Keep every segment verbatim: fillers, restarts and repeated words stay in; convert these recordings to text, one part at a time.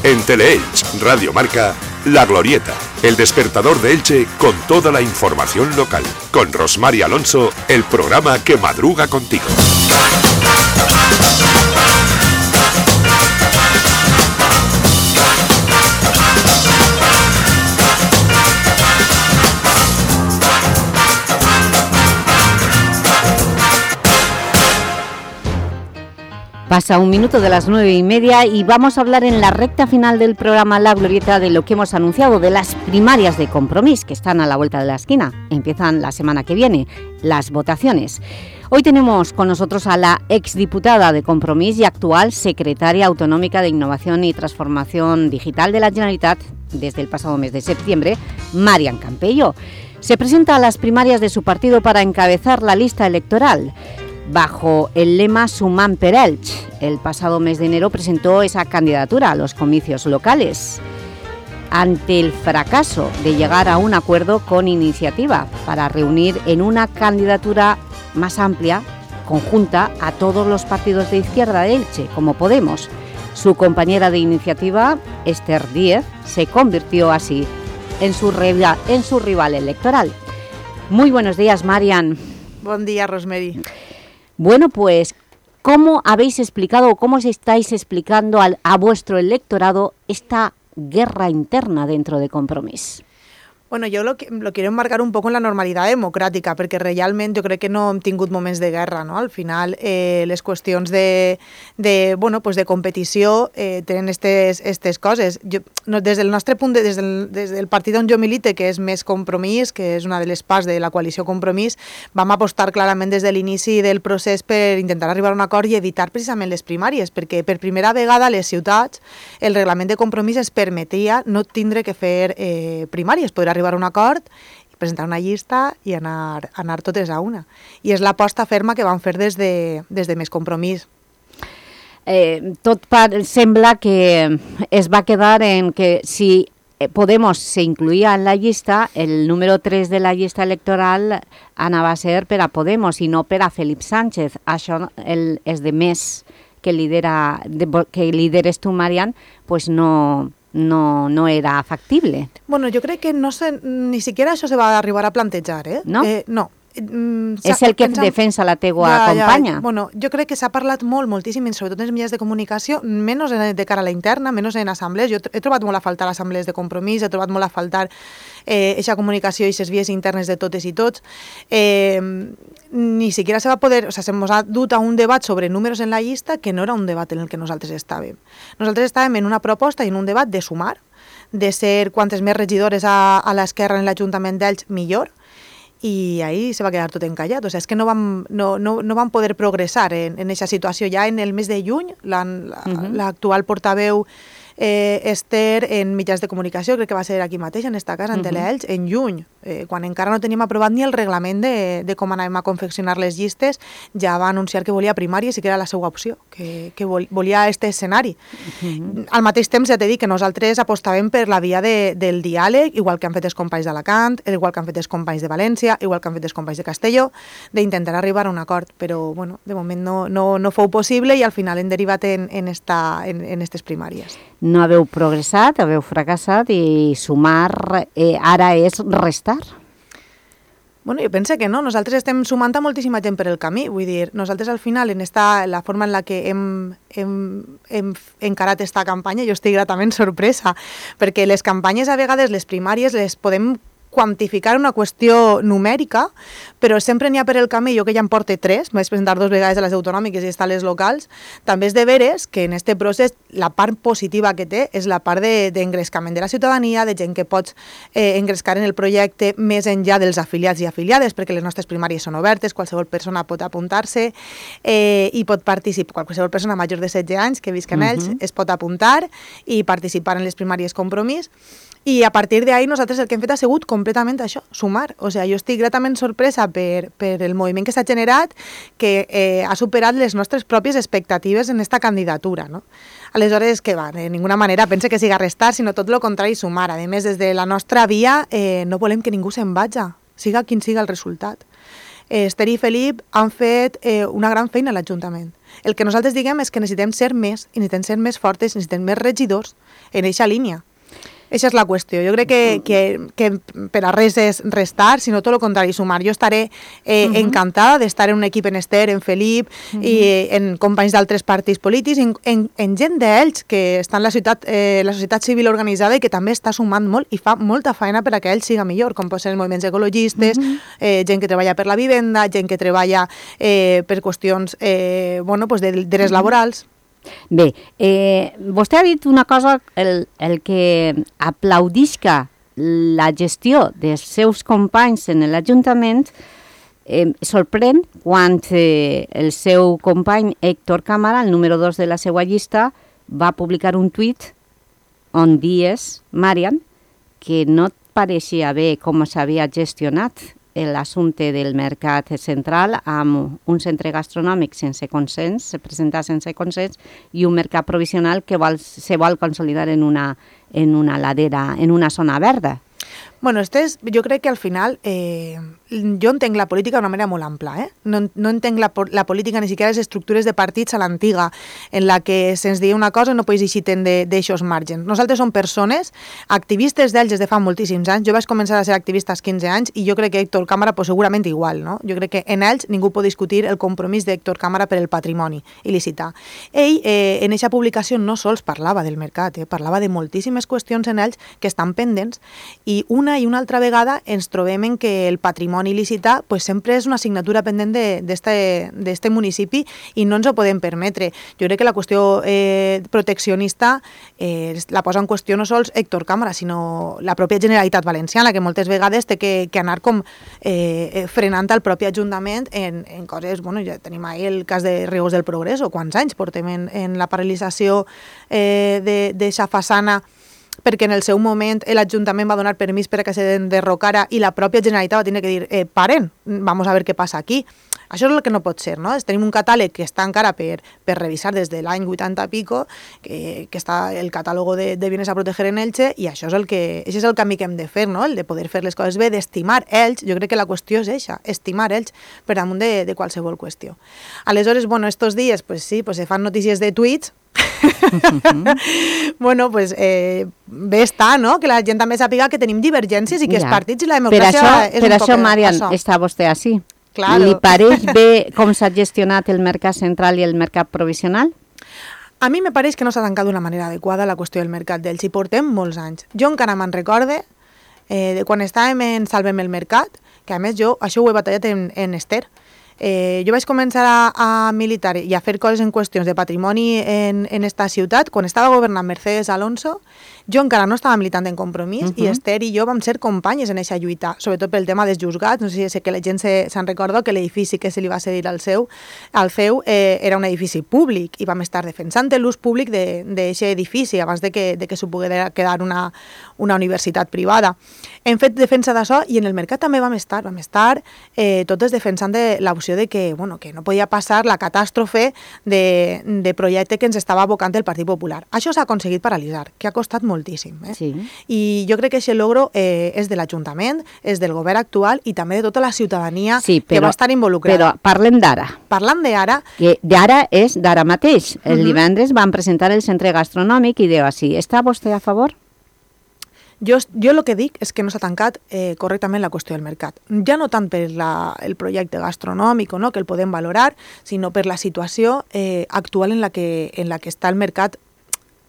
En Teleelch, Radio Marca, La Glorieta, el despertador de Elche con toda la información local. Con Rosmar y Alonso, el programa que madruga contigo. Pasa un minuto de las nueve y media y vamos a hablar en la recta final del programa La Glorieta de lo que hemos anunciado, de las primarias de Compromís, que están a la vuelta de la esquina. Empiezan la semana que viene, las votaciones. Hoy tenemos con nosotros a la exdiputada de Compromís y actual secretaria autonómica de Innovación y Transformación Digital de la Generalitat desde el pasado mes de septiembre, Marian Campello. Se presenta a las primarias de su partido para encabezar la lista electoral. Bajo el lema Sumant per Elx, el pasado mes de enero presentó esa candidatura a los comicios locales ante el fracaso de llegar a un acuerdo con Iniciativa para reunir en una candidatura más amplia, conjunta, a todos los partidos de izquierda de Elche, como Podemos. Su compañera de Iniciativa, Esther Díez, se convirtió así en su, rival, en su rival electoral. Muy buenos días, Marian. Buen día, Rosemary. Bueno, pues, ¿cómo habéis explicado o cómo estáis explicando al, a vuestro electorado esta guerra interna dentro de Compromís? Bueno, jo lo, lo quiero enmarcar un poco en la normalitat democràtica, perquè realment jo crec que no hem tingut moments de guerra, no? Al final, eh, les qüestions de, de, bueno, pues de competició eh, tenen estes, estes coses. Jo, no, des del nostre punt, de, des, del, des del partit on jo milite, que és més Compromís, que és una de les parts de la coalició Compromís, vam apostar clarament des de l'inici del procés per intentar arribar a un acord i evitar precisament les primàries, perquè per primera vegada a les ciutats el reglament de Compromís es permetia no tindre que fer eh, primàries, poder arribar a un acord, presentar una llista i anar, anar totes a una. I és l'aposta ferma que van fer des de, des de Més Compromís. Eh, tot par, sembla que es va quedar en que si Podemos se incluïa en la llista, el número tres de la llista electoral anava a ser per a Podemos i no per a Felip Sánchez. Això el, és de Més que, lidera, de, que lideres tu, Marian, pues no... No, no era factible. Bueno, jo crec que no se, ni siquiera això se va arribar a plantejar, eh? No? Eh, no. Mm, és el que pensam... defensa la teua ja, companya. Ja. Bueno, jo crec que s'ha parlat molt, moltíssim, sobretot en els mitjans de comunicació, menys de cara a la interna, menys en assemblees. Jo he trobat molt a faltar assemblees de Compromís, he trobat molt a faltar eixa eh, comunicació i les vies internes de totes i tots. Eh, ni siquiera se va poder, o sea, se ens ha dut a un debat sobre números en la llista que no era un debat en el que nosaltres estàvem. Nosaltres estàvem en una proposta i en un debat de sumar, de ser quantes més regidores a, a l'esquerra en l'Ajuntament d'Elx, millor, i ahí se va quedar tot encallat. O sea, és que no vam, no, no, no vam poder progressar en aquesta situació. Ja en el mes de juny, l'actual portaveu eh, Esther, en mitjans de comunicació, crec que va ser aquí mateix, en esta casa, en uh -huh. Teleelch, en juny, eh, quan encara no teníem aprovat ni el reglament de, de com anàvem a confeccionar les llistes, ja va anunciar que volia primàries i que era la seva opció, que, que volia este escenari. Uh -huh. Al mateix temps, ja t'he dit que nosaltres apostàvem per la via de, del diàleg, igual que han fet els companys d'Alacant, igual que han fet els companys de València, igual que han fet els companys de Castelló, d'intentar arribar a un acord, però bueno, de moment no, no, no fou possible i al final hem derivat en, en, esta, en, en estes primàries. No haveu progressat, haveu fracassat i sumar eh, ara és restar? Bueno, jo penso que no. Nosaltres estem sumant a moltíssima gent per el camí. Vull dir, nosaltres al final, en esta, la forma en la que hem, hem, hem encarat esta campanya, jo estic gratament sorpresa, perquè les campanyes, a vegades, les primàries, les podem quantificar una qüestió numèrica, però sempre n'hi ha per el camí. Jo que ja em porte tres, vaig presentar dos vegades a les autonòmiques i està a les locals, també és de veres que en aquest procés la part positiva que té és la part d'engrescament de, de la ciutadania, de gent que pots eh, engrescar en el projecte més enllà dels afiliats i afiliades, perquè les nostres primàries són obertes, qualsevol persona pot apuntar-se eh, i pot participar, qualsevol persona major de setze anys que visca en ells uh -huh. es pot apuntar i participar en les primàries Compromís. I a partir d'ahí nosaltres el que hem fet ha sigut completament això, sumar. O sigui, jo estic gratament sorpresa per, per el moviment que s'ha generat, que eh, ha superat les nostres pròpies expectatives en aquesta candidatura, no? Aleshores, que va, de ninguna manera pense que siga restar, sinó tot el contrari, sumar. A més, des de la nostra via eh, no volem que ningú se'n vaja, siga quin siga el resultat. Esther i Felip han fet eh, una gran feina a l'Ajuntament. El que nosaltres diguem és que necessitem ser més, i necessitem ser més fortes, necessitem més regidors en eixa línia. Eixa és la qüestió. Jo crec que, que, que per a res és restar, sinó tot el contrari, sumar. Jo estaré eh, uh -huh. encantada d'estar en un equip en Esther, en Felip, uh -huh. i en companys d'altres partits polítics, en, en, en gent d'ells que està en la, ciutat, eh, la societat civil organitzada i que també està sumant molt i fa molta feina per a que ell siga millor, com pot ser els moviments ecologistes, uh -huh. eh, gent que treballa per la vivenda, gent que treballa eh, per qüestions eh, bueno, pues de drets laborals. Bé, eh, vostè ha dit una cosa, el, el que aplaudisca la gestió dels seus companys en l'Ajuntament eh, sorprèn quan eh, el seu company Héctor Cámara, el número dos de la seva llista, va publicar un tuit on dies, Marian, que no et pareixia bé com s'havia gestionat l'assumpte del mercat central amb un centre gastronòmic sense consens, se presenta sense consens, i un mercat provisional que vol, se vol consolidar en una, en una ladera, en una zona verda. Bueno, este és, jo crec que al final, eh, jo entenc la política d'una manera molt ampla, eh? No, no entenc la, la política ni siquiera les estructures de partits a l'antiga, en la que se'ns diu una cosa i no pots eixir d'aixòs margens. Nosaltres som persones, activistes d'ells des de fa moltíssims anys. Jo vaig començar a ser activista als quinze anys i jo crec que Héctor Cámara pues, segurament igual, no? Jo crec que en ells ningú pot discutir el compromís d'Héctor Cámara per el patrimoni il·licitar. Ell, eh, en aquesta publicació, no sols parlava del mercat, eh? Parlava de moltíssimes qüestions en ells que estan pendents, i una i una altra vegada ens trobem en que el patrimoni il·licitar pues, sempre és una assignatura pendent d'aquest municipi i no ens ho podem permetre. Jo crec que la qüestió eh, proteccionista eh, la posa en qüestió no sols Héctor Cámara, sinó la pròpia Generalitat Valenciana, que moltes vegades té que, que anar com eh, frenant el propi Ajuntament en, en coses, bueno, ja tenim ahí el cas de Rius del Progreso, quants anys portem en, en la paralització eh, d'aquesta façana, perquè en el seu moment l'Ajuntament va donar permís per a que se derrocara i la pròpia Generalitat va tenir que dir eh, paren, vamos a ver què passa aquí. Això és el que no pot ser, no? Tenim un catàleg que està encara per, per revisar des de l'any vuitanta pico, que, que està el catàleg de, de bienes a proteger en Elche, i això és el que això és el camí que hem de fer, no? El de poder fer les coses bé, d'estimar ells. Jo crec que la qüestió és eixa, estimar ells per damunt de, de qualsevol qüestió. Aleshores, bueno, estos dies, pues sí, pues se fan notícies de tuits. Bueno, pues eh, bé està, no? Que la gent també sàpiga que tenim divergències i que ja. Els partits i la democràcia per això, és per un això, poc Marian, això. Està vostè així. Claro. Li pareix bé com s'ha gestionat el mercat central i el mercat provisional? A mi me pareix que no s'ha tancat d'una manera adequada la qüestió del mercat d'ells, i portem molts anys. Jo encara me'n recorde eh, de quan estàvem en Salvem el Mercat, que a més jo això ho he batallat en, en Esther. Eh, jo vaig començar a, a militar i a fer coses en qüestions de patrimoni en, en esta ciutat quan estava governant Mercedes Alonso. Jo encara no estava militant en Compromís, uh-huh. i Esther i jo vam ser companyes en aquesta lluita, sobretot pel tema dels juzgats. No sé si que la gent se'n se, recorda que l'edifici que se li va cedir al seu, al feu eh, era un edifici públic, i vam estar defensant l'ús públic d'aquest edifici abans de que, de que s'ho pogués quedar una, una universitat privada. Hem fet defensa d'això, i en el mercat també vam estar, vam estar eh, totes defensant de l'opció de que, bueno, que no podia passar la catàstrofe de, de projecte que ens estava abocant el Partit Popular. Això s'ha aconseguit paralitzar, que ha costat moltíssim. Eh? Sí. I jo crec que aquest logro eh, és de l'Ajuntament, és del govern actual i també de tota la ciutadania sí, però, que va estar involucrada. Però parlem d'ara. Parlant d'ara... Que d'ara és d'ara mateix. El uh-huh. divendres van presentar el centre gastronòmic i diu així, està vostè a favor? Jo, jo el que dic és que no s'ha tancat eh, correctament la qüestió del mercat. Ja no tant per la, el projecte gastronòmic, no, que el podem valorar, sinó per la situació eh, actual en la, que, en la que està el mercat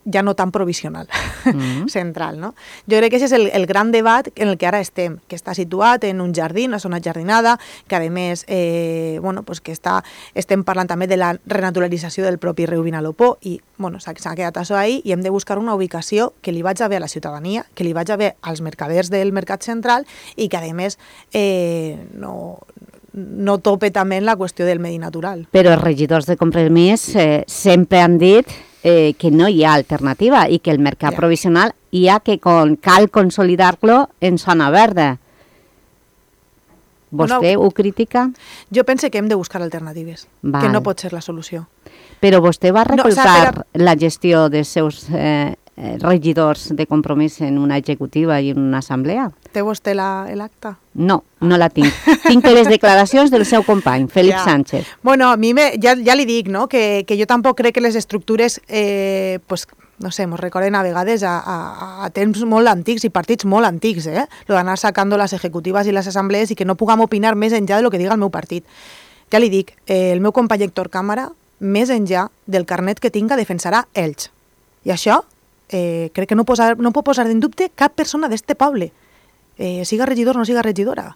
ja no tan provisional, mm-hmm. central, no? Jo crec que aquest és el, el gran debat en el que ara estem, que està situat en un jardí, una zona jardinada, que a més, eh, bueno, pues que està, estem parlant també de la renaturalització del propi riu Vinalopó, i bueno, s'ha quedat això ahí, i hem de buscar una ubicació que li vaig a bé a la ciutadania, que li vaig a bé als mercaders del mercat central, i que a més eh, no... no tope també en la qüestió del medi natural. Però els regidors de Compromís eh, sempre han dit eh, que no hi ha alternativa i que el mercat ja. provisional hi ha que con, cal consolidar-lo en zona verda. Vostè no, ho critica? Jo penso que hem de buscar alternatives, Val. que no pot ser la solució. Però vostè va recolzar no, o sea, però... la gestió dels seus eh, eh, regidors de Compromís en una executiva i en una assemblea. Té vostè l'acta? No, no la tinc. Tinc les declaracions del seu company, Felip ja. Sánchez. Bueno, a mi me, ja, ja li dic, no?, que, que jo tampoc crec que les estructures, eh, pues, no sé, mos recorden a vegades a, a, a temps molt antics i partits molt antics, eh? Lo d'anar sacando les executives i les assemblees i que no puguem opinar més enllà de lo que diga el meu partit. Ja li dic, eh, el meu company Héctor Cámara, més enllà del carnet que tinga, defensarà Elx. I això eh, crec que no, posa, no pot posar en dubte cap persona d'este poble, eh, siga regidor o no siga regidora.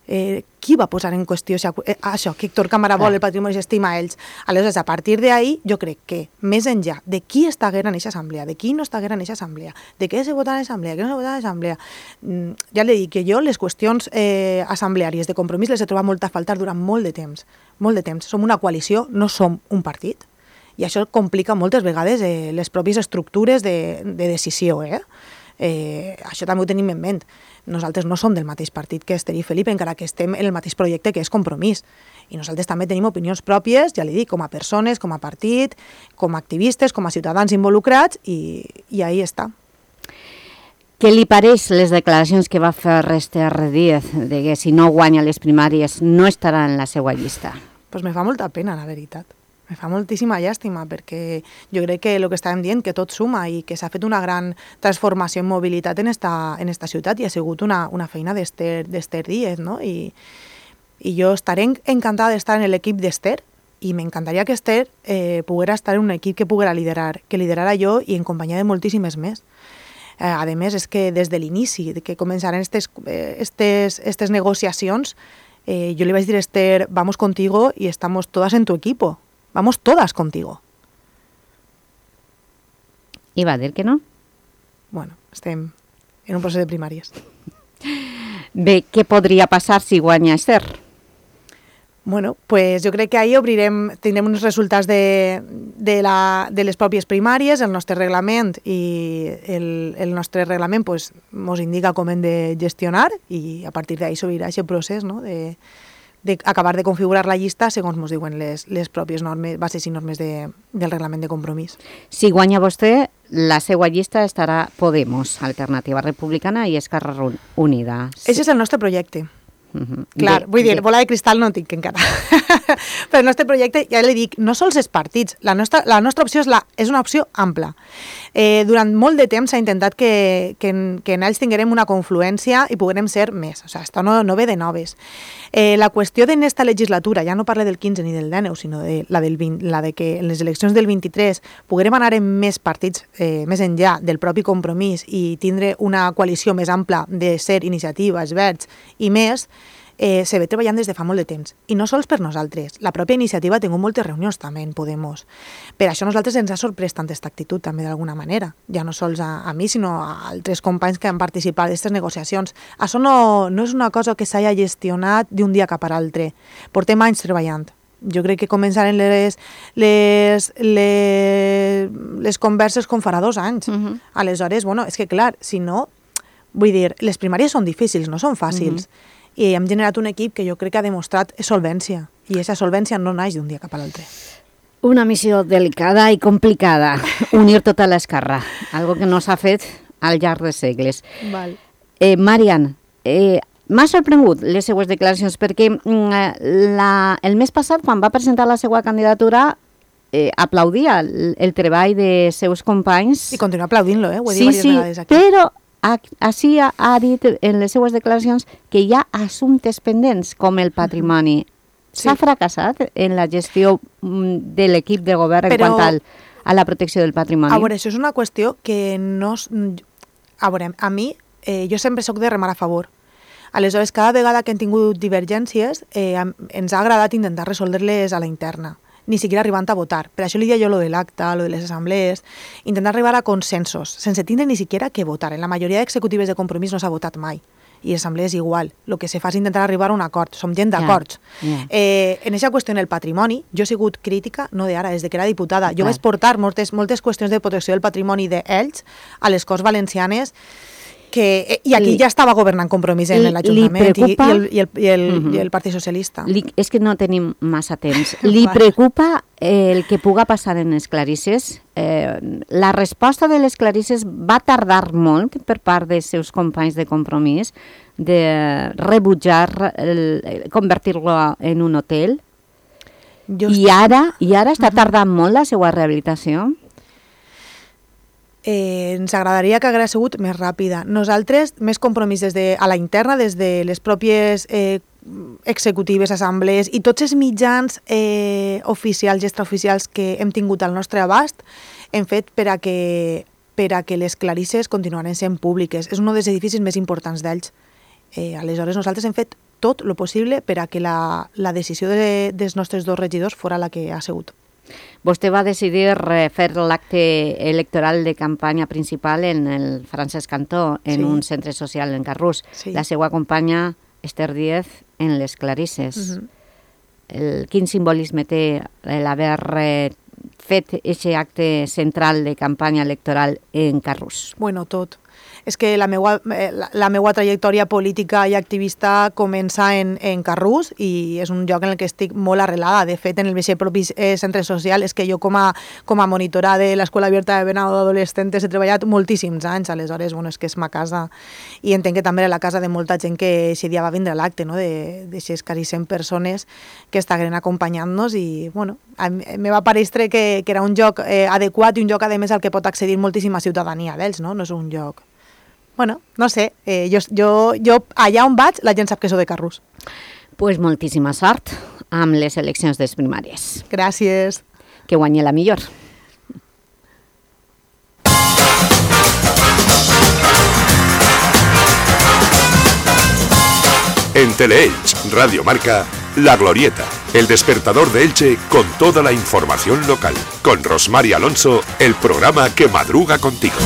Eh, qui va posar en qüestió això, eh, això que Héctor Cámara vol el patrimoni i s'estima ells? Aleshores, a partir d'ahí, jo crec que, més enllà de qui està en aquesta assemblea, de qui no està en aquesta assemblea, de què se vota en l'assemblea, què no se vota en l'assemblea, ja li dic que jo les qüestions eh, assembleàries de Compromís les he trobat molt a faltar durant molt de temps, molt de temps. Som una coalició, no som un partit, i això complica moltes vegades eh, les pròpies estructures de, de decisió, eh? Eh, això també ho tenim en ment. Nosaltres no som del mateix partit que Esther i Felip, encara que estem en el mateix projecte que és Compromís. I nosaltres també tenim opinions pròpies, ja li dic, com a persones, com a partit, com a activistes, com a ciutadans involucrats, i, i ahí està. Què li pareix les declaracions que va fer Esther Díez de que si no guanya les primàries no estarà en la seva llista? Pues me fa molta pena, la veritat. Me fa moltíssima llàstima, perquè jo crec que el que estàvem dient, que tot suma i que s'ha fet una gran transformació en mobilitat en esta, en esta ciutat, i ha sigut una, una feina d'Esther Díez, no? I, i jo estaré encantada d'estar en l'equip d'Esther, i m'encantaria que Esther eh, poguera estar en un equip que poguera liderar, que liderara jo i en companyia de moltíssimes més. Eh, a més, és que des de l'inici, que començaran estes, estes, estes negociacions, eh, jo li vaig dir a Esther, vamos contigo y estamos todas en tu equipo. Vamos todas contigo. I va dir que no? Bueno, estem en un procés de primàries. Bé, què podria passar si guanya Esther? Bueno, pues jo crec que ahir obrirem, tindrem uns resultats de, de, la, de les pròpies primàries, el nostre reglament, i el, el nostre reglament pues, mos indica com hem de gestionar, i a partir d'ahir s'obrirà aquest procés, no?, de d'acabar de configurar la llista segons ens diuen les, les pròpies normes, bases i normes de, del reglament de Compromís. Si guanya vostè, la seva llista estarà Podemos, Alternativa Republicana i Esquerra Unida. Sí. Ese és el nostre projecte. Uh-huh. Clar, de, vull dir, de... bola de cristal no tinc encara. Però el nostre projecte, ja li dic, no sols els partits, la nostra, la nostra opció és, la, és una opció ampla. Eh, durant molt de temps s'ha intentat que, que, en, que en ells tinguem una confluència i poguem ser més. O sigui, això no, no ve de noves. Eh, la qüestió d'en esta legislatura, ja no parla del quinze ni del dinou, sinó de la, del vint, la de que en les eleccions del vint-i-tres poguem anar en més partits, eh, més enllà del propi Compromís, i tindre una coalició més ampla de ser iniciatives, verds i més, eh, se ve treballant des de fa molt de temps. I no sols per nosaltres. La pròpia iniciativa ha tingut moltes reunions també en Podemos. Per això a nosaltres ens ha sorprès tant aquesta actitud també d'alguna manera. Ja no sols a, a mi, sinó a altres companys que han participat d'aquestes negociacions. Això no, no és una cosa que s'hagi gestionat d'un dia cap a l'altre. Portem anys treballant. Jo crec que començaren les, les, les, les converses com farà dos anys. Uh-huh. Aleshores, bueno, és que clar, si no, vull dir, les primàries són difícils, no són fàcils. Uh-huh. I hem generat un equip que jo crec que ha demostrat solvència, i aquesta solvència no naix d'un dia cap a l'altre. Una missió delicada i complicada, unir tota l'esquerra, algo que no s'ha fet al llarg de segles. Val. Eh, Marian, eh, m'ha sorprengut les seues declaracions, perquè la, el mes passat, quan va presentar la seva candidatura, eh, aplaudia el, el treball de seus companys. I continua aplaudint-lo, eh? Ho he dit sí, diverses sí, vegades aquí. Però així ha, ha dit en les seues declaracions que hi ha assumptes pendents com el patrimoni. Sí. S'ha fracassat en la gestió de l'equip de govern en Però, quant al, a la protecció del patrimoni? A veure, això és una qüestió que no... A veure, a mi, eh, jo sempre soc de remar a favor. Aleshores, cada vegada que hem tingut divergències, eh, ens ha agradat intentar resoldre-les a la interna, ni siquiera arribant a votar. Per això li deia jo lo de l'acta, lo de les assemblees, intentar arribar a consensos, sense tindre ni siquiera que votar. En la majoria d'executives de Compromís no s'ha votat mai, i assemblees igual. El que se fa és intentar arribar a un acord. Som gent d'acords. Yeah, yeah. eh, en aquesta qüestió, en el patrimoni, jo he sigut crítica, no d'ara, des de que era diputada. Jo yeah. vaig portar moltes, moltes qüestions de protecció del patrimoni d'ells a les Corts Valencianes, que, i aquí li, ja estava governant Compromís en l'Ajuntament i, i, el, i, el, i, el, uh -huh. i el Partit Socialista. Li, és que no tenim massa temps. Li preocupa el que puga passar en les clarisses? Eh, la resposta de les clarisses va tardar molt per part dels seus companys de Compromís de rebutjar convertir-lo en un hotel? Just... I ara, i ara està tardant uh -huh. molt la seva rehabilitació? Eh, ens agradaria que hagués sigut més ràpida. Nosaltres, més Compromís des de, a la interna, des de les pròpies eh, executives, assemblees i tots els mitjans eh, oficials i extraoficials que hem tingut al nostre abast, hem fet per a que, per a que les clarisses continuaran sent públiques. És un dels edificis més importants d'ells. Eh, aleshores, nosaltres hem fet tot el possible per a que la, la decisió de, dels nostres dos regidors fora la que ha sigut. Vostè va decidir fer l'acte electoral de campanya principal en el Francesc Cantó, en sí. un centre social en Carrús. Sí. La seva companya, Esther Díez, en les clarisses. Uh -huh. el, quin simbolisme té l'haver fet aquest acte central de campanya electoral en Carrús? Bueno, tot. És que la meua, la, la meua trajectòria política i activista comença en, en Carrús i és un lloc en el que estic molt arrelada. De fet, en el mateix propi eh, centre social és que jo com a, com a monitora de l'Escola Abierta de Venado d'Adolescentes he treballat moltíssims anys, aleshores, bueno, és que és ma casa i entenc que també era la casa de molta gent que aquest dia va vindre a l'acte, no? de d'aquestes quasi cent persones que estaven acompanyant-nos i, bueno, a mi, me va parèixer que, que era un lloc eh, adequat i un lloc, a més, al que pot accedir moltíssima ciutadania d'ells, no? No és un lloc... Bueno, no sé, eh, jo, jo, jo allà on vaig la gent sap que sóc de Carrús. Pues moltíssima sort amb les eleccions des primàries. Gràcies. Que guanyi la millor. En Teleelch, Radio Marca, La Glorieta, el despertador de Elche con toda la información local. Con Rosmar Alonso, el programa que madruga contigo.